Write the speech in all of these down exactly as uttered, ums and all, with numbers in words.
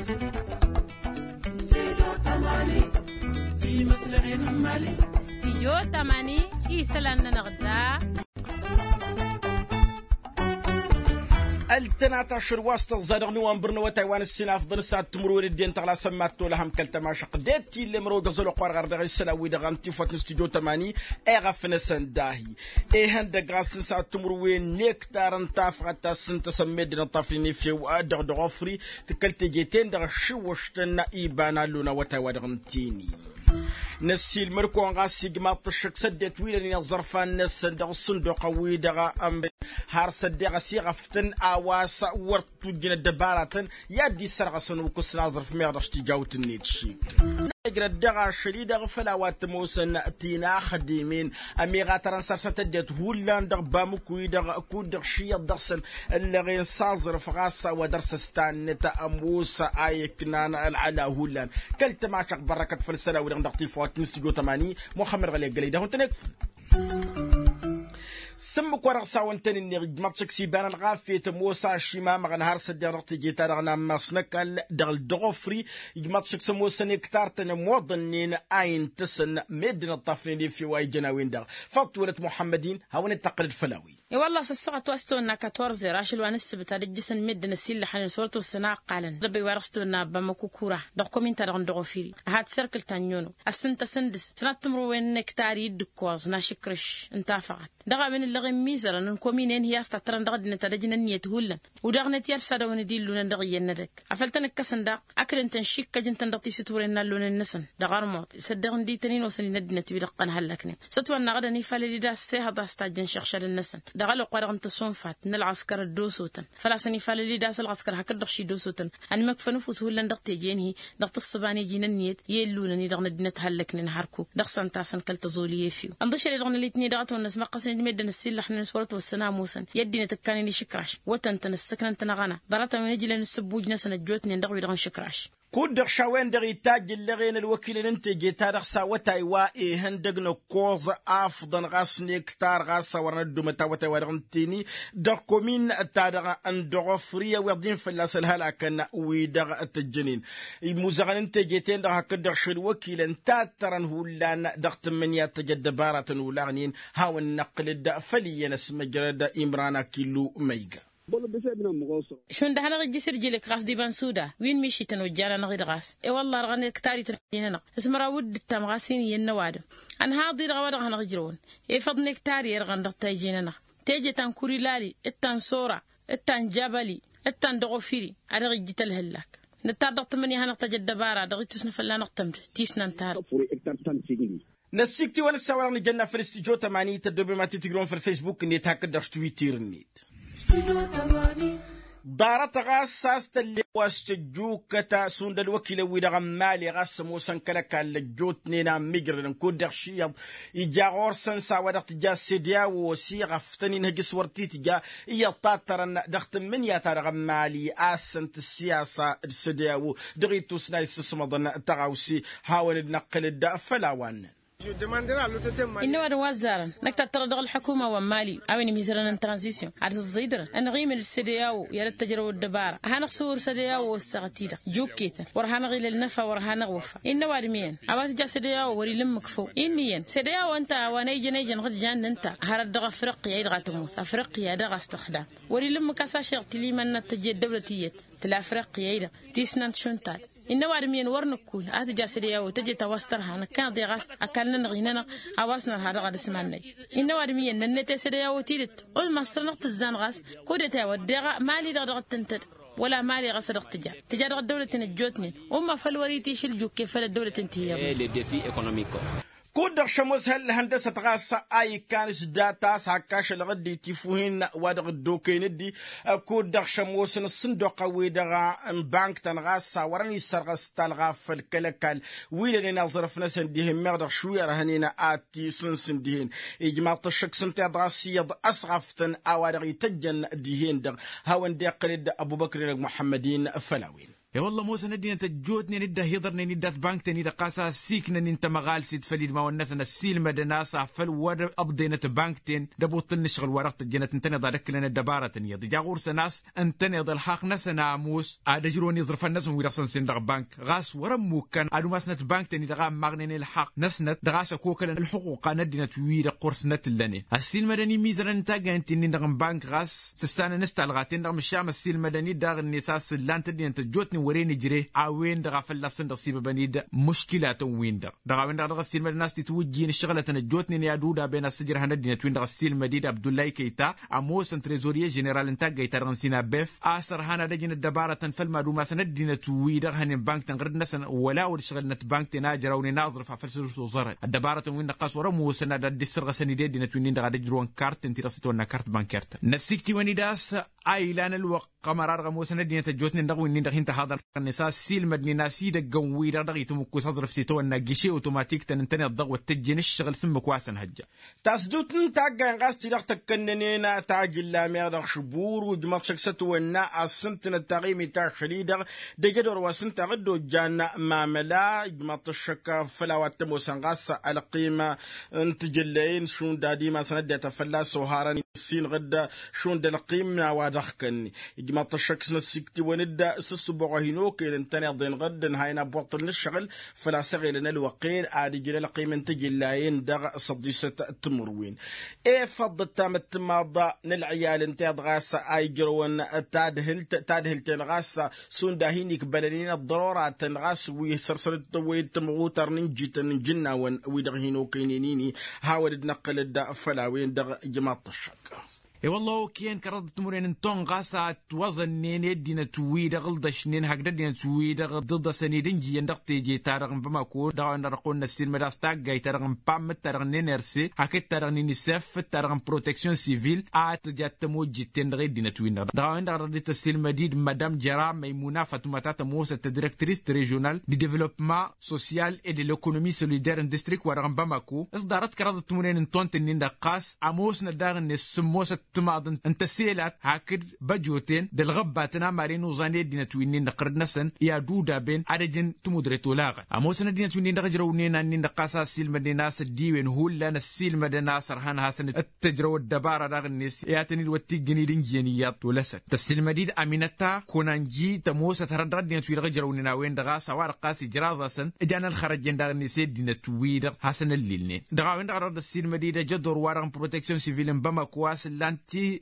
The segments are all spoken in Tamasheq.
Studio tamani, isălan-nănăɣ da. Ăltănat ašăl wa s-tăẓẓa dăɣ-nowănbăr n-awătay wa n-ǝssin afḍăn s-ad-timǝrwen ăddin tăɣlasăn mad-tolăhăm kăl-tămašăq d-e-t ill'-e mărăw d-aẓăl oqq wa dăɣ-ardeɣ isălan wi dăɣ-ăntifăt n-studio tamani. Eɣăf-năsăn dahi ihăndăg ɣas n-s ad-timǝrwen n-ektar n-tafɣăt ta s-ǝntăsăn meddǝn ǝṭṭafnen efew dăɣ-dăɣ ofri. Tǝkkăl teje-ten-dăɣ ăššiwwăštăn iba n-allun awătay wa dăɣ-ǝntǝyni. Năssiilmăd-kăwăn ɣas ijmaḍ-t ăššăk s-ăddinăt wi lănen iẓărfan-năsăn dăɣ-ǝṣṣǝnduq wi-dăɣ ămre har s-ăddeɣ ăsiɣăftăn a-wa s-wăr t-tujjǝn ăddăbaratăn i-ad-dd-issărɣăsăn ukǝs n-aẓrǝf meɣ dăɣ-s tijawt-net šik. Ijrăt dăɣ-ašăl-i-dăɣ făll-a-wa t-ămoosăn tinaxdimen ămiɣatărăn săr-săn tăddinăt hullan dăɣ-bamǝku-i-dăɣ kud-dăɣ šiyyăḍ dăɣ-săn ǝllăɣen s-aẓrǝf ɣas a-wa dăr-s ăstannăt ămoos a iknan ălɣăla hullan. Kăl-tămašăɣt bărrăkăt făll-isălan-wi-dăɣ dăɣ-tifawt n-studio tamani muxămmăd ɣăli ăggălăy d-ahun-tăn-ikfăn. S-ǝmmǝk-wa-dăɣ s-awăn-tăn-in-neɣ ijmaḍ-t šăkk s-iba n-ălɣafyăt ămoos ašimamăɣăn har s-ăddiɣ dăɣ-teje-ta-dăɣ n-ammas n-ăkall dăɣ-ălduɣ ofri. Ijmaḍ-t šăkk s-ămoosăn ektar-tăn ămoḍănnen a intăsăn meddǝn ǝṭṭafnen efew a ijăn a-wen-dăɣ. Făṭṭ wălăt muḥămmăd-in hawăn-dd-tăqqǝlăd făll-a-wen. I-wălla-s ăssaɣăt wa s-tăwănna katwărzăr ašăl wa n-ǝssǝbǝt ad-ǝjjǝsăn meddǝn ăsillăxnen s-wăr t-ossăn a ǝqqalăn dăbăy wa-dăɣ s-tăwănna ăbba măkukura dăɣ-komin-ta-dăɣ n-dăɣ-ofiri. Ad-t-serkǝl ta n-iono ad-săn tăsǝndǝs sănat timǝrwen n-ektar i-dd-ǝkkoẓ n-ašǝkrǝš n-tafăɣăt dăɣ-a-wen ǝllăɣen mizărăn n-kominen hi-a-s tattărăn dăɣ-ăddinăt ad-ăjǝn ǝnniyăt hullan. Udăɣnet i-ad-s ad-dăwăn d-illunăn dăɣ-iyyăn n-edăgg afăl tăn-ǝkkăsăn daɣ ăkdăn-tăn šikkăj ǝntăn dăɣ-tisǝtwăren n-allăwnen-năsăn dăɣ-armuḍ s-ăddeɣ ǝndităn-in osăn-in ăddinăt wi dăɣ-tăn hăllăknen s-ătwănna ɣǝdăn ifalăl-i d-a-s ehăḍ a-s tajjăn šăɣšad-năsăn. Dăɣ-ăloqq wa dăɣ-n tăsunfat n-ălɣăskăr ăddosotăn făl-a-s ănifalăl-i d-a-s ălɣăskăr hakd-dăɣ šidosotăn ănmăkfăn ăfuss hullan dăɣ-teje-in-hi dăɣ-tǝssǝba n-iji n-ǝnniyăt i-ǝllunăn-i-dăɣ n-ăddinăt hăllăknen hărkuk dăɣ-săn tasăn kăl-tăẓoli efew. Ǝnḍǝšăl-i-dăɣ n-ălitni dăɣ-ătwănnăs măqqăsnen d-meddǝn ăssiillăxnen s-wăr ătwăssăn a ămoosăn i-ăddinăt ǝkkanen išǝkraš wătăn-tăn ǝssǝknăn-tăn aɣăna ḍarăt-a-wen ǝjlăn s-ǝbbuj-năsăn ăjjootnen dăɣ-wi-dăɣ n-išǝkraš. Kud-dăɣ šawăyăn dăɣ-itajj ǝllăɣen ălwăkilăn n-teje-ta-dăɣ s-awătay wa ihăndăg n-ǝkkoẓ afḍăn ɣas n-ektar ɣas a wărăn ăddomăt awătay wa dăɣ-n tini dăɣ-komin-ta-dăɣ n-dăɣ-ofri ăwiḍ-in fălla-s ălhălakăn wi-dăɣ tăjjănen. Imuzăɣăn n-teje-ten-dăɣ hakd-dăɣ šălwăkilăn tattărăn hullan dăɣ-tǝmmǝnǝya tăj ăddăbaratăn olaɣnen. Hawăn-năqqǝlăd făll-iyyăn ăsmăjrăd imran akillu ma iga. Šund ad-hanăɣ-ijjǝs irjǝlǝk ɣas d-iba n-suda wi n-mišităn ojjan-anăɣ-dd ɣas i-wălla-dăɣ ănǝktarităn ăjjǝn-anăɣ s-măraw d-ǝttam ɣas-in iyyăn n-ăwadǝm. Ănhaḍ-i-dăɣ a-wa dăɣ-hanăɣ-ijrăwăn efăḍ n-ektari-i-dăɣ dăɣ-tajje-nănăɣ teje ta n-kurilali d-ta n-sora d-ta n-jabali d-ta n-dăɣ-ofiri ad-dăɣ-ijjǝt ălhǝllak. Nǝttar dăɣ-tǝmmǝnǝya a hanăɣ-tăj ăddăbara dăɣ-ittus n-afălla-năɣ tămdǝt tisnant ta-dăɣ. Năssikt'-iwăn ǝssawălăn ijănna făll-studyo tămani tăddobem ad-t-tǝjrǝwăn făll-facebook-net hakd-dăɣ s-twitter-net. Ḍarăt ɣas a-s tăllew a-s tăjjukăt šund ălwăkilăn-wi-dăɣ n-mali ɣas ămoosăn kăl-ăkall ăjjootnen a ămmijrădăn kud-dăɣ šiyyăḍ ija ɣur-săn s-a-wa dăɣ-tǝja s-sede a-wo ăsiɣăftăn-in hăjǝs wăr t-tǝja. Iyyăḍ tattărăn dăɣ-tǝmmǝnǝya-ta-dăɣ n-mali a ăssăn-t ǝssiyasa d-sede a-wo dăɣ-ittus n-a issǝsmăḍăn tăɣawse. Hawăn-dd-năqqǝl-dd făll-a-wa ǝnnăn. Innă ăwadǝm wa ăzzarăn năkk tattărăt dăɣ-ălḥukuma wa n-mali a-wen imizărăn n-tranzisyon ad-ăẓẓidărăn ănɣimǝn d-sădeyawo i-ad-ăttăjrăw ăddăbara ad-hanăɣ-sǝwǝr sădeyawo ăssaɣăt-i-dăɣ juketăn wăr hanăɣ-ila ălnăfa wăr hanăɣ-iwăffa. Innă ăwadǝm iyyăn a-wa tǝja sădeyawo wăr-ila ǝmmǝk făw innă iyyăn sădeyawo ǝnta a-wa n-ejăn ejăn ɣǝd jan n-ǝnta hărăt dăɣ-afriqya-i-dăɣ a tămoos afriqya daɣ a-s tǝxdam. Wăr-ila ǝmmǝk a-s ašăl tiliman n-ad-tăj i-ăddăwlăt iyyăt tǝla afriqya-i-dăɣ tisnant šund ta-dăɣ. Innă ăwadǝm iyyăn wăr nǝkkul a tǝja sădeyawo tăjet a-wa s-tărha năkkăneḍ-i ɣas ăkall-nănăɣ-i-nănăɣ a-wa s-nărha dăɣ-ad-ǝsman-năj. Innă ăwadǝm iyyăn nănnăte sădeyawo tidǝt ulmas săr-năɣ tǝzzan ɣas kud-ete a-wa ăddeɣ mali-dăɣ dăɣ-tǝntăd wăla mali ɣas a dăɣ-tǝja tǝja dăɣ-ăddăwlăten ăjjootnen. Umma făll-wăr-itišǝl jukke făll-ăddăwlăten tihǝyăḍnen. Kud-dăɣ šămoos hăndăsăt ɣas a ikkan s-data a-s hak ašăl ɣǝddi tifuhin wa dăɣ-dd-okăyăn ǝddi. Kud-dăɣ šămoosăn ǝssǝnduqăn-wi-dăɣ n-bank-tăn ɣas a wărăn issărɣăs talɣa făll-kăl-ăkall wi lănen aẓrǝf-năsăn dihen meɣ dăɣ-šuwi ărhănen ad-t-isǝnsǝn dihen. Ijmaḍ-t ăššăk s-ǝnta iyyăḍ ɣas iyyăḍ ăsɣăftăn a-wa dăɣ-ităjjăn dihen-dăɣ. Hawăn-dd-iqqǝl-dd ăbubăkr-i-dăɣ muḥămmăd-in făll-a-wen. E-wălla ămoosăn ăddinăt ăjjootnen dd-ăhiḍărnen-dd dat-bankten-i-dăɣ ɣas a ăssiiknăn-in tămăɣalset făll-idmawăn-năsăn ăssiilmădăn a-s afăl wăr-ăbḍenăt bankten d-ăbuṭṭǝl n-ǝššăɣǝl wa dăɣ-tăjjănăt ǝntăneḍ ad-ăkklăn ăddăbarătăn iyyăḍ ija ɣur-săn a-s ǝntăneḍ ălxaqq-năsăn a ămoos ad-ăjrăwăn iẓrǝfăn-năsăn wi-dăɣ săn-sen dăɣ-bank ɣas wăr-ămmukkan ad-umasnăt bankten-i-dăɣ a ǝmmaɣnen ălxaqq-năsnăt dăɣ-a-s ăkokălăn ălxuqqa n-ăddinăt-wi-dăɣ ɣur-snăt ǝllănen ăssiilmădăn imizărăn n-taggayăn ti-nin-dăɣ n-bank ɣas sǝssanăn s-talɣaten-dăɣ măšan ăssiilmădăn-dd daɣ-net a-s ǝllan-t ăddinăt ăjjootnen wăren ǝjre a-wen-dăɣ a fălla-săn-dăɣ sibăbăn-dd muškilatăn-win-dăɣ dăɣ-a-wen-dăɣ a dăɣ-ăssiilmădăn a-s titwǝjjin ǝššăɣǝlătăn ăjjootnen i-ad-udaben a-s ǝjrăhăn ăddinăt-win-dăɣ ăssiilmăd-dd abdullay kăyta ămoosăn trezorye ženeral n-taggayt-ta-dăɣ n-sinabef a-s ărhan ad-ăjǝn ăddăbarătăn făll-mad-umasăn ăddinăt-wi-dăɣ hănen bankten ɣǝrǝd-năsăn wăla wăr-ǝšɣǝlnăt bankten a ǝjrawnen aẓrǝf afăl s-dd-suẓărăn ăddăbarătăn-win-dăɣ ɣas wăr-ămoosăn ad-dd-issărɣăsăn-dd i-ăddinăt-win-dăɣ ad-ăjrăwăn karten ti-dăɣ s-itawănna kart bankert-tăn năssiktǝwăn-dd a-s a ilan ălwăqq ămăra dăɣ-ămoosăn ăddinăt ăjjootnen dăɣ-winnin-dăɣ hin-tăhaḍăr-net a ăssiilmădnen a-s idăggăn-wi-dăɣ dăɣ-itǝmǝkkus aẓrǝf s-itawănna giše otomatik-tăn ǝntăneḍ-dăɣ wăr t-ăjjin ǝššăɣǝl s-ǝmmǝk wa săn hăjja. Tasdut n-taggayăn ɣas ti-dăɣ tăkkănnănen tajǝlla meɣ dăɣ-šbur ujmăḍ šăkk s-ătwănna a ǝssǝntǝnăt taɣimit ašăl-i-dăɣ d-ejădor wa s-ǝnta ɣǝddo ǝjjan mamăla ijmăḍ-t ăššăk făll-a-wa t-ămoosăn ɣas ălqim n-tijǝllăyăn šund ad-imasăn ăddinăt a fălla-s oharăn issinɣǝd šund ălqim n-a-wa dăɣ-kănni ijmăḍ-t ăššăk s-năssiktǝwăn-dd s-ǝssǝboɣ a hin-okăyăn ǝntăneḍ-en ɣǝdd ǝnhayăn abbuṭṭǝl n-ǝššăɣǝl făl-a-s ăɣelăn ălwăqq-en ad-ǝjǝn ălqim n-tijǝllăyăn dăɣ-săḍisăt timǝrwen. Efăḍ d-tamăttǝmaḍ n-ălɣiyal ǝnta iḍ ɣas a ijrăwăn tadhǝlt tadhǝlt-en ɣas šund a hin-ikbălăn-in ăḍḍăroratăn ɣas wi săr-săr-dd tăwwăyăd tămɣutar n-injităn n-ijǝnnawăn wi-dăɣ hin-okăynen-ini. Hawăn-dd-năqqǝlăd făll-a-wen-dăɣ ijmaḍ-t ăššăk. I-wălla okăyăn kăraḍăt timǝrwen n-tonɣas a ătwăẓănnen i-ăddinăt-wi-dăɣ ǝlḍăšnen hakd ăddinăt-wi-dăɣ dd-ǝḍăsăn-dd ǝnjǝyăn dăɣ-teje-ta-dăɣ n-bamako dăɣ-a-wen-dăɣ dăɣ-kăwăn-năssiilmăd a-s taggayt-ta-dăɣ n-pam d-ta-dăɣ n-enerse hakd ta-dăɣ n-inisef d-ta-dăɣ n-proteksyon sivil a tǝja d-tămojjit-ten-dăɣ i-ăddinăt-win-dăɣ dăɣ-a-wen-dăɣ a dăɣ-dd-tăssiilmăd-dd madam jăra măymuna fatuma ta tămoosăt tădirektris režional d-devălopma sosyal e d-elekonomi solidar n-distrik-wa-dăɣ n-bamako s-ḍarăt kăraḍăt timǝrwen n-tont-nin-dăɣ ɣas ămoosnăt daɣ-net s-ǝmmosăt timaḍ n-tăselalt hakd băjoten d-ălɣăbbatăn amaren uẓan i-ăddinăt wi-nin-dăɣ ɣǝrǝd-năsăn i-ad-udaben ad-ăjǝn timudret olaɣăn ămoosăn ăddinăt wi-nin-dăɣ ǝjrăwnen a-nin-dăɣ ɣas a ăssiilmădnen a-s ăddiwen hullan ăssiilmădăn a-s ărhan hasăn-dd-tǝjrăw ăddăbara daɣ-net i-ad-tăn-dd-wăr t-ijjǝn-dd ǝnjǝyăn iyyăḍ tolăsăn tăssiilmăd-dd aminăta konanji tămoosăt hărăt dăɣ-ăddinăt-wi-dăɣ ǝjrăwnen a-wen-dăɣ a-s a-wa-dăɣ ɣas ijraẓ-asăn ǝjan ălxărăjjen daɣ-net i-ăddinăt-wi-dăɣ hasăn-ăllilnen dăɣ-a-wen-dăɣ a dăɣ-dd-ăssiilmăd-dd ejădor-wa-dăɣ n-proteksyon sivil n-bamako a-s ǝllan-t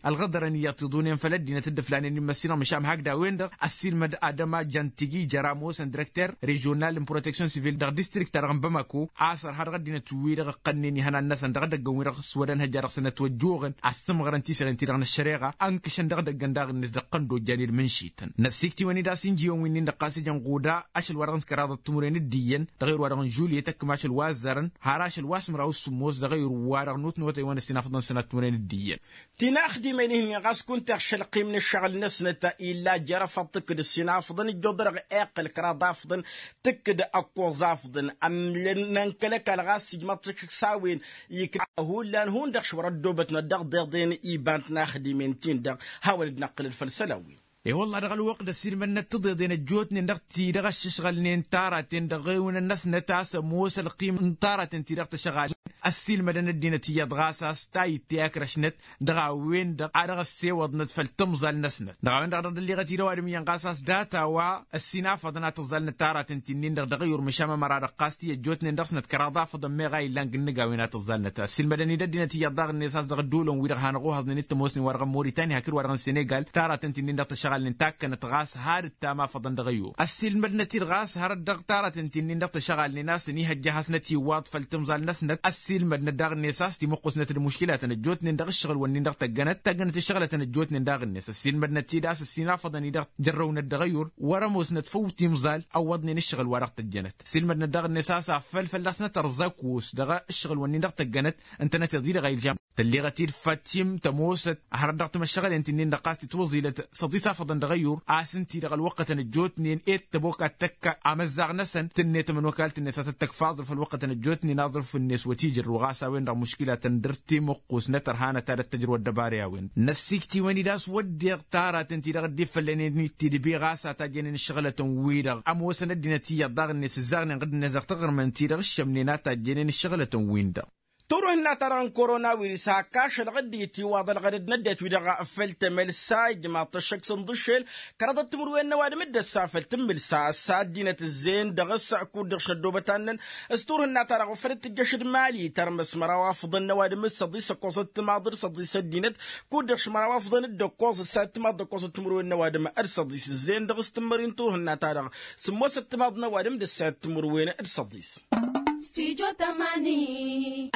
ălɣăḍărăn iyyăḍ tiḍunen făll-ăddinăt dd-ǝflanen immăssinăɣ măšan hakd a-wen-dăɣ ăssiilmăd adăma jantigi jăr-ămoosăn direkter režional n-proteksyon sivil dăɣ-distrikt-ta-dăɣ n-bamako a-s ărha dăɣ-ăddinăt-wi-dăɣ ǝqqănnen ihănan-năsăn dăɣ-edăggăn-wi-dăɣ s-wădăn hăjja dăɣ-săn ătwăjjoɣăn a ăssǝmɣărăn tisăren-ti-dăɣ n-ăššăreɣa ǝnkǝšăn dăɣ-edăggăn daɣ-net dăɣ-tăn dd-ojjan-dd mǝnšităn năssiktǝwăn-dd a-s injǝyăn wi-nin-dăɣ ɣas ijăn ɣuda ašăl wa dăɣ-nǝskăraḍăt timǝrwen d-iyyăn dăɣ-ewăr wa dăɣ-n žulyet ăkkăm ašăl wa ăzzărăn har ašăl wa s-măraw s-sǝmmos dăɣ-ewăr wa dăɣ-nutnotăywăn ăssinafăḍăn sănat timǝrwen d-iyyăn. Tinăxdimen-in-hi ɣas kunta iɣšăl ăqqim n-ǝššăɣǝl-năsnăt illa jer-afăḍ tǝkkǝd ǝssinafăḍăn ǝjjoḍărăɣ iqqăl kăraḍ afăḍăn tǝkkǝd ăkkoẓ afăḍăn ămlăn n-ănkăl-ăkall ɣas ijmăḍ-t s-a-wen ikna hullan hundăɣ šwăr-ăddoobătnăt dăɣ-deḍen iba n-tinăxdimen-tin-dăɣ. Hawăn-dd-năqqǝlăd făll-isălan-win. E-wălla-hi dăɣ-ălwăqq d-ăssiilmădnăt tiḍeḍen ăjjootnen dăɣ-ti-dăɣ ăššăšɣălnen taraten dăɣ-ewǝnăn-năsnăt a-s ămoos ălqim n-taraten-ti-dăɣ tăšɣalnen ăssiilmădăn ăddinăt iyyăḍ ɣas a-s ta itte akrăšnăt dăɣ-a-wen-dăɣ a dăɣ-ăssewăḍnăt făll-tǝmẓal-năsnăt dăɣ-a-wen-dăɣ a dăɣ-dd-ălliɣăt-dd ăwadǝm iyyăn ɣas a-s data-wa ăssinafăḍăn a tǝẓẓalnăt taraten ti-nin-dăɣ dăɣ-eyur măšan ămăra-dăɣ ɣas ti ăjjootnen dăɣ-snăt kăraḍ afăḍăn meɣ a illan gǝnnǝg a-wen a tǝẓẓalnăt ăssiilmădăn-dd ăddinăt iyyăḍ daɣ-net a-s dăɣ-ădduulăn-wi-dăɣ hanăɣ-ohăẓnen d-tămoosnen wa dăɣ-moritani hakd wa dăɣ-senegal taraten ti-nin-dăɣ tăšɣalnen takkănăt ɣas har ǝttam afăḍăn dăɣ-eyur ăssiilmădnăt-dd ɣas hărăt dăɣ-taraten ti-nin-dăɣ tăšɣalnen a-s ănihăjja hasnăt-iwwaḍ făll-timẓal-năsnăt ăssiilmădnăt daɣ-net a-s timǝqqusnăt d-muškilatăn ăjjootnen dăɣ-ǝššăɣǝl-wǝnnin-dăɣ tăggănăt taggănăt ǝššăɣlătăn ăjjootnen daɣ-net ăssiilmădnăt-dd a-s ăssinafăḍăn-i-dăɣ jărrăwnăt dăɣ-eyur wăr-ămoosnăt făw timẓal ăwwăḍnen ǝššăɣǝl wa dăɣ-tăjjănăt ăssiilmădnăt daɣ-net a-s afăl fălla-snăt ărẓăkos dăɣ-ǝššăɣǝl-wǝnnin-dăɣ tăggănăt ǝntănăt iḍi dăɣ-a ilžam. Tălleɣăt-dd fătim tămoosăt hărăt dăɣ-timăššăɣălen ti-nin-dăɣ ɣas tǝtwăẓilăt săḍisafăḍăn dăɣ-eyur a-s ǝnti-dăɣ ălwăqqătăn ăjjootnen ed tăbok ad-tăkka amăzzaɣ-năsăn tǝnnet ămănokal tǝnnet a tăttăkf aẓrǝf ălwăqqătăn ăjjootnen aẓrǝf-net wăt-ijrăw. tru ɣas a-wen-dăɣ muškilatăn dăr-timǝqqus n-etărhanăt ad-ăttăjrǝw ăddăbari a-wen năssiiktiwăn-dd a-s wădden taraten-ti-dăɣ dd-ifăllănen-t tidǝbi ɣas a tajjănen ǝššăɣǝlătăn-wi-dăɣ ămoosăn ăddinăt iyyăḍ daɣ-net ǝzzaɣnen ɣǝd-net dăɣ-taɣrǝmen-ti-dăɣ ǝššămnen a tajjănen ǝššăɣǝlătăn-win-dăɣ. Turhǝnna-ta-dăɣ n-korona wirǝs hakkašăl ɣǝd-i tiwaḍăl ɣărăd n-ăddinăt-wi-dăɣ făll-temălsa ijmaḍ-t ăššăk s-ǝnḍǝššel kăraḍăt timǝrwen n-ăwadǝm dd-ăssa făll-tǝmmǝlsa ăssa ăddinăt ǝzzeyăn dăɣ-s kud-dăɣ šăddobăt annăn. S-turhǝnna-ta-dăɣ ufăd d-tǝjjăš d-mali tărmăs măraw afḍăn n-ăwadǝm d-săḍis ăkkoẓăt timaḍ d-săḍis ăddinăt kud-dăɣ šmăraw afḍăn d-ăkkoẓ ǝssa timaḍ d-ăkkoẓăt timǝrwen n-ăwadǝm d-săḍis ǝzzeyăn dăɣ-s tǝmmări n-turhǝnna-ta-dăɣ. Sǝmmosăt timaḍ n-ăwadǝm d-ǝssa timǝrwen d-săḍis.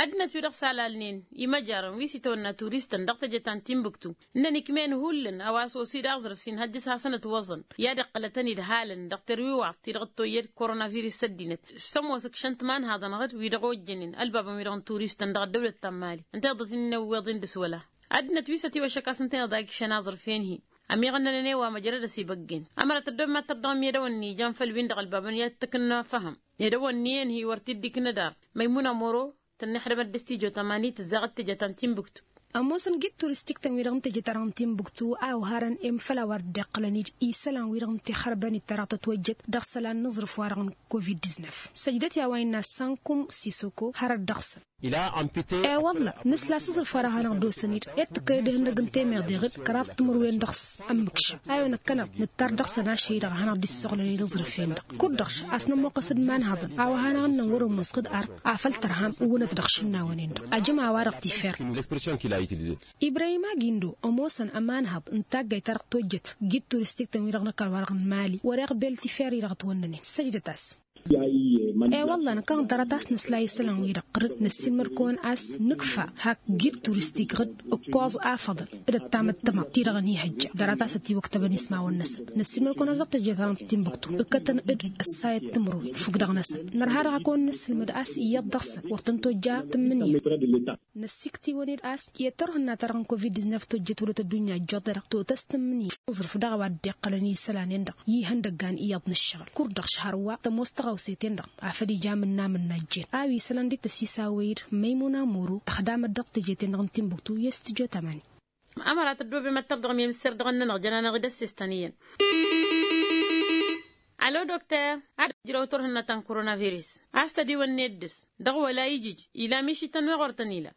Ăddinăt wi-dăɣ s-alalnen imăjarăn wi s-itawănna turistăn dăɣ-teje ta n-timbuktu ǝnnăn ikmen hullan a-wa s-osi d-aẓrǝf s-inhăjjăs hasăn-ătwăẓăn i-ad-iqqălătăn idhalăn dăɣ-terwiwaḍt-ti-dăɣ ăttoyyăd koronavirus ăddinăt. S-ămoos ǝkšăn timanhaḍăn ɣǝd wi-dăɣ ojjănen ălbabăn-wi-dăɣ n-turistăn dăɣ-ăddăwlăt ta n-mali ǝnta iḍǝt-in n-ewweḍ-in dăr-s wăla. Ăddinăt wi s-ătiwăššăk a-s ǝnta iḍa ikšăn aẓrǝf-en-hi ămiɣănnănăn i-wa măjrăd ăsibăggen. Ămărat ăddob mad-tărdăɣăm i-ad-ăwănni ijan făll-win-dăɣ ălbabăn i-ad-t-ăknăfăhăm i-ad-ăwănni-en-hi wăr t-dd-iknăd ar. Măymuna moro tănnixdămăt d-s tijo tamani tǝzzaɣăt teje ta n-timbuktu. Ămoosăn gid turistik-tăn-wi-dăɣ n-teje ta dăɣ-n timbuktu a oharăn i-măfăl a-wa dd-iqqălăn-dd isălan-wi-dăɣ n-tixărbănit ta dăɣ-tătwăjjăt dăɣ-isălan n-aẓrǝf-wa-dăɣ n-covid-disnef. Săjdăt i-a-wa innă sankum sisoko hărăt dăɣ-săn. E-wălla nǝsla s-aẓrǝf wa dăɣ-hanăɣ-dd-osăn-dd i-tǝkkălăd ihăndăg n-temeḍe ɣǝd kăraḍ timǝrwen dăɣ-s. Ămmǝkšăm a-wen ăkkăneḍ nǝttar dăɣ-săn ašăl-i-dăɣ a hanăɣ-dd-issoɣlăn i-dd-aẓrǝf-en-dăɣ. Kud-dăɣ a-s nămmoqqăs d-imanhăḍăn a-wa hanăɣ-ǝnnăn wăr-ămoos ɣǝd ar afăl tărham ǝwwǝnăt dăɣ-išǝnnawăn-en-dăɣ ajăm a-wa-dăɣ tifert. Ibrahim agindo ămoosăn ămanhăḍ n-taggayt ta dăɣ-tojjăt gid turistik-tăn-wi-dăɣ n-ăkall-wa-dăɣ n-mali wăr-iɣbel tifert-i-dăɣ ătwănnănen săjdăt-as. E-wălla năkkăneḍ ḍarăt a-s nǝsla isălan-wi-dăɣ ɣǝrǝd năssiilmăd-kăwăn a-s nǝkfa hak gid turistik ɣǝd ǝkkoẓ afăḍăn d-ăttamăttămăḍ-ti-dăɣ ănihăjja ḍarăt a-s ătiwăktăbăn ismawăn-năsăn. Năssiilmăd-kăwăn a-s dăɣ-tejăt a dăɣ-timbuktu ǝkkătăn d-ăssayăt timǝrwen fukk-dăɣ-năsăn. Nărha dăɣ-a kăwăn-nǝssǝlmǝd a-s iyyăḍ dăɣ-săn wăr tăn-tojja tǝmmǝnǝya. Năssiktǝwăn-dd a-s i-turhǝnna-ta-dăɣ n-covid-disnef tojjăt wăla tăddunya ăjjoḍ-e-dăɣ totăs tǝmmǝnǝya. Aẓrǝf dăɣ-a-wa dd-iqqălăn isălan-en-dăɣ i-ihăndăggan iyyăḍ n-ǝššăɣǝl kud-dăɣ šhărwa tămoos tăɣawset-en-dăɣ afăl ija amǝnna amǝnna ăjjeen a-wa isălan dd-tăsisawăy-dd măymuna moro ăxdamăt dăɣ-teje-ten-dăɣ n-timbuktu i-s tǝjo tamani. Ămăra tăddoobem ad-tărdăɣăm i-mǝsser dăɣ-ănnănăɣ jănanăɣ-dd ăssestăn iyyăn. Alo dokter ad-ăjrăw turhǝnna ta n-koronavirus a-s tădiwănne dd-s dăɣ-wăla ijǝj ila mišităn wa ɣur-tăn ila.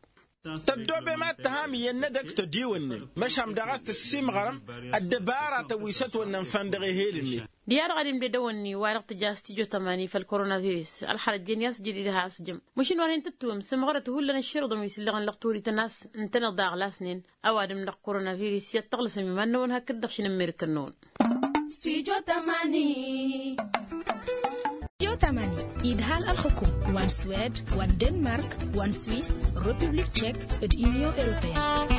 Tăddoobem ad-tăham iyyăn n-edăgg tădiwănnen măšan daɣ a-s tăssimɣărăm ăddăbaratăn wi s-ătwănnăn făndăɣ ehel-net. Diha-dăɣ ad-imded ăwănni wa dăɣ-tǝja s-tijo tamani făll-koronavirus ălxărăjjen i-asjădid ha-s jăm măšin wăr hin-tǝttǝwǝm s-ǝmɣărăt hullan ǝšširǝḍăn wi s-ǝllăɣăn lăɣturităn a-s ǝntăneḍ a ăɣlasnen. Ăwadǝm dăɣ-koronavirus i-ad-tăɣlăsăm iman-năwăn hakd-dăɣ šinǝmmer-kănnăwăn. Stujo tamani. Stujo tamani idhal ălxǝkum wa n-swed wa n-denmark wa n-swiss, republik tchek d-union europeyenne.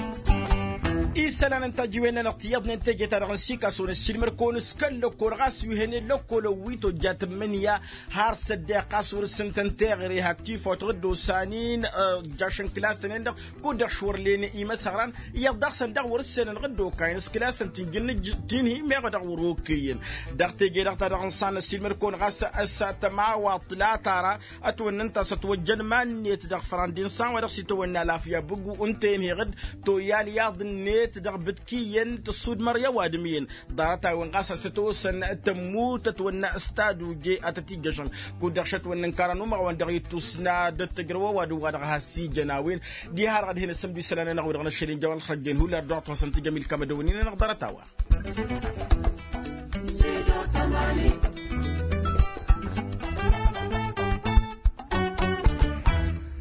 Isălan n-tajiwen-nănăɣ tiyyăḍnen teje-ta-dăɣ n-sikason ăssiilmăr-kăwăn s-kăl-lăkkol ɣas wi hănen lăkkol ăwwi tojja tǝmmǝnǝya. Har s-ăddeɣ ɣas wăr-s ǝntăn teɣăre hak tifawt ɣǝddosanin. Ǝjjašăn kǝlas-tăn-en-dăɣ kud-dăɣ šwărlen imăsăɣran iyyăḍ dăɣ-săn daɣ wăr-ǝssenăn ɣǝddookayăn s-kǝlasăn ti n-jǝnnǝj tinhi meɣ dăɣ-wăr-okăyăn. Dăɣ-teje-dăɣ ta dăɣ-nǝssan ăssiilmăd-kăwăn ɣas ăssa tămawaḍt la tara ătwănnăn ta s-ătwăjjăn iman-net dăɣ-fărandi n-san wa dăɣ-s itawănna lafya bǝggu ǝnta-en heɣ-dd toyal iyyăḍ-net dăɣ-bǝdkǝyăn tǝssudmăr i-ăwadǝm-iyyăn. Ḍarăt-a-wen ɣas a-s ătwăsăn tămmut ătwănna s-taduje ad-tăt-ijjăšăn kud-dăɣ šătwănnăn kăra n-umăɣ-wen-dăɣ ittusna dd-tǝjrăw ăwadǝm wa dăɣ-has-ijăn a-wen. Diha-dăɣ ad-hin-ăssǝmdu isălan-nănăɣ wi-dăɣ n-ašăl inja wa n-ălxărăjjen hullan dăɣ-dd-hoosăn tǝjăm ilkam ad-ăwănnin-anăɣ ḍarăt-a-wa.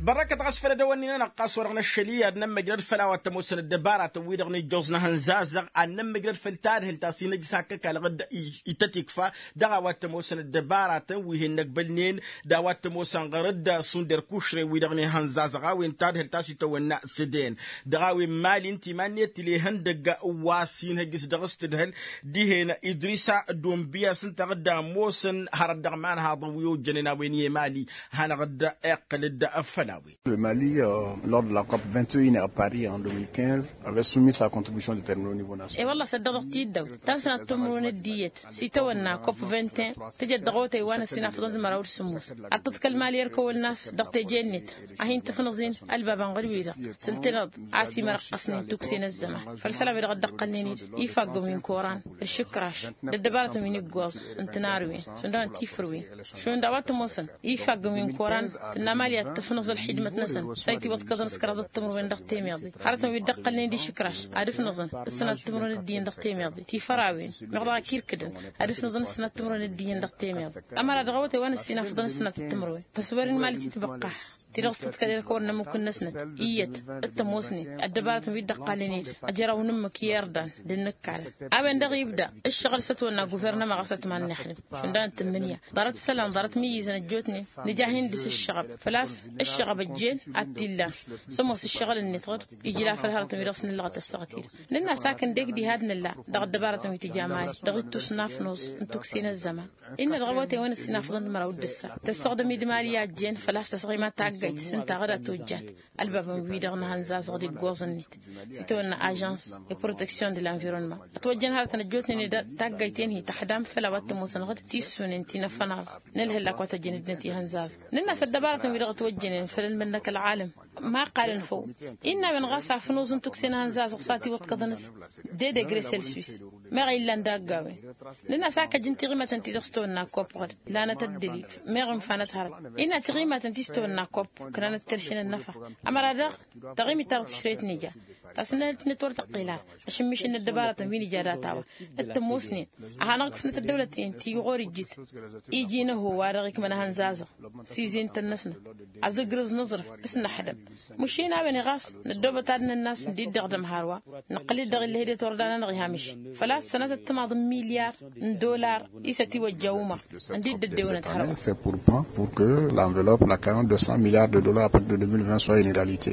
Bărrăkăt ɣas făll-ădăwănnin-anăɣ ɣas wa dăɣ-năššăl i-ad-nămmăjrăd făll-a-wa t-ămoosăn ăddăbaratăn-wi-dăɣ n-ijjoẓ n-ehănzazăɣ ad-nămmăjrăd făll-tadhǝlt a-s inăjj s-hak ăkall ɣǝd-i tăt-ikfa. Dăɣ-a-wa t-ămoosăn ăddăbaratăn wi hin-năgbălnen d-a-wa t-ămoosăn ɣărăd šund erkušre-wi-dăɣ n-ehănzazăɣ a-wen tadhǝlt a-s itawănna s-ed-en. Dăɣ-a-wen mali ǝnta iman-net tǝl'-e ihăndăgg wa s-inhăjj s-dăɣ-s tǝdhǝl dihen idrisa d-onbiyas ǝnta ɣǝd ămoosăn hărăt dăɣ-imanhaḍăn wi ojjănen a-wen i-mali. Hanăɣ-dd-iqqǝl-dd făll-a-wen. Le mali, lord de la cop vingt et un à paris en deux mille quinze, avait soumis sa contribution de termino nivo national. I-wălla s-ăddăɣ dăɣ-t-dd-ăw ta n-sănat timǝrwen d-iyyăt s-itawănna cop vingt et un tǝjăt dăɣ-awătay wa n-ăssinafăḍăn d-măraw d-sǝmmos. Ad-tǝḍkăl mali ărkăwăl n-as dăɣ-teje-net a hin-tǝfnǝẓ-in ălbabăn ɣǝd-wi-dăɣ, s-ǝltăneḍ a-s imărăqqăsnen tukse n-ăzzăman făll-isălan-wi-dăɣ dd-ăqqălnen-dd ifaggăn wi n-koran d-išǝkraš d-ăddăbarătăn wi n-iggoẓ n-tǝnarwen šund a-wen tifrǝwen šund a-wa t-ămoosăn ifaggăn wi n-koran. Tǝnna mali ad-tǝfnǝẓ ălxidmăt-năsăn s-a itiwăḍkăḍăn s-kăraḍăt timǝrwen dăɣ-temeḍe hărătăn wi dd-ăqqălnen d-išǝkraš ad-ǝfnǝẓăn ǝssănat timǝrwen d-iyyăn dăɣ-temeḍe tifărawen meɣ dăɣ-ak irkǝdăn ad-ǝfnǝẓăn ǝssănat timǝrwen d-iyyăn dăɣ-temeḍe. Ămăra dăɣ-awătay wa n-ăssinafăḍăn ǝssănat timǝrwen tăswăren mali titbăqqaḥ ti-dăɣ s-tǝḍkăl irkăwăn n-ămmuk-năsnăt iyyăt d-tămoosnen ăddăbarătăn wi dd-ăqqalnen-dd ăjraw n-ǝmmǝk i-irḍan d-ǝnnǝkkalăn. A-wen-dăɣ ibda ǝššăɣǝl s-ătwănna guvernăma ɣas ătman n-ixlǝm šund a ǝntǝmmǝnǝya ḍarăt isălan ḍarăt mǝyyǝzăn ăjjootnen nǝja a hin-dăɣ-s ǝššăɣăb făl-a-s ǝššăɣăb ăjjeen ad-t-illan. Sămoos ǝššăɣǝl-net ɣǝd ijla făll-hărătăn wi dăɣ-s nǝllăɣăt ăssaɣăt-i-dăɣ nǝnn'-as hak ǝndek diha d-nǝlla dăɣ-ăddăbarătăn wi tǝja mali dăɣ-ittus n-afnus n-tukse n-ăzzăman. Innă dăɣ-awătay wa n-ăssinafăḍăn d-măraw d-ǝssa tăssăɣdăm-dd mali a ăjjeen făl-a-s tăsɣima taggayt s-ǝnta ɣǝd a tojjat ălbabăn-wi-dăɣ n-ehănzazăɣ d-iggoẓ-net s-itawănna ažžăns i-proteksyon de l-environnement ătwăjjăn hărătăn ăjjootnen d-taggayt-en-hi tăxdam făll-a-wa t-ămoosăn ɣǝd tissunen ti n-afănaẓ n-ǝlhǝllak wa tăjjăn ǝddinăt ihănzazăɣ. Nǝnn'-as ăddăbarătăn-wi-dăɣ ătwăjjănen făll-ălmănnăk ălɣalăm ma ăqqalăn făw. Innă a-wen ɣas afnuẓ n-tukse n-ehănzazăɣ s-ad-t-iwăḍkăḍăn s-de degre celsus meɣ a illan dagg'-a-wen. Nǝnn'-as a kăjjăn tiɣimătăn ti-dăɣ s-tawănna kopp ɣǝd lanăt ăddălil meɣ ǝnfanăt hărăt. Innă tiɣimatăn ti s-tawănna kopp ǝknanăt terše n-ănnăfa. Ămăra daɣ taɣimit-ta-dăɣ tǝšrăyăt n-ija ta s-ǝnnănăt-net wăr tăqqel ara ašǝmmiš n-ăddăbarătăn wi n-ija data-wa d-tămoosnen a hanăɣ-ǝkfǝnăt ăddăwlăt-in ti ɣur-ijjǝt iji n-ăhho wa dăɣ-ikmăn ehănzazăɣ s-izintăn-năsnăt azǝgrǝẓ n-aẓrǝf s-năḥdăm. Măšin a-wen-i ɣas năddoobăt ad-nănn'-as dd-iddăɣdăm hărwa nǝqqǝl-dd dăɣ-illăh i-det wăr danănăɣ ihamiš făl-a-s sănătăt timaḍ n-milyar n-dollar. I-s ătiwăjja umăɣ ǝndi dd-ăddewănăt hărwa. C'est pour quand pour que l'enveloppe la cayon de cent milliards de dollars à partir de deux mille vingt soit une réalité.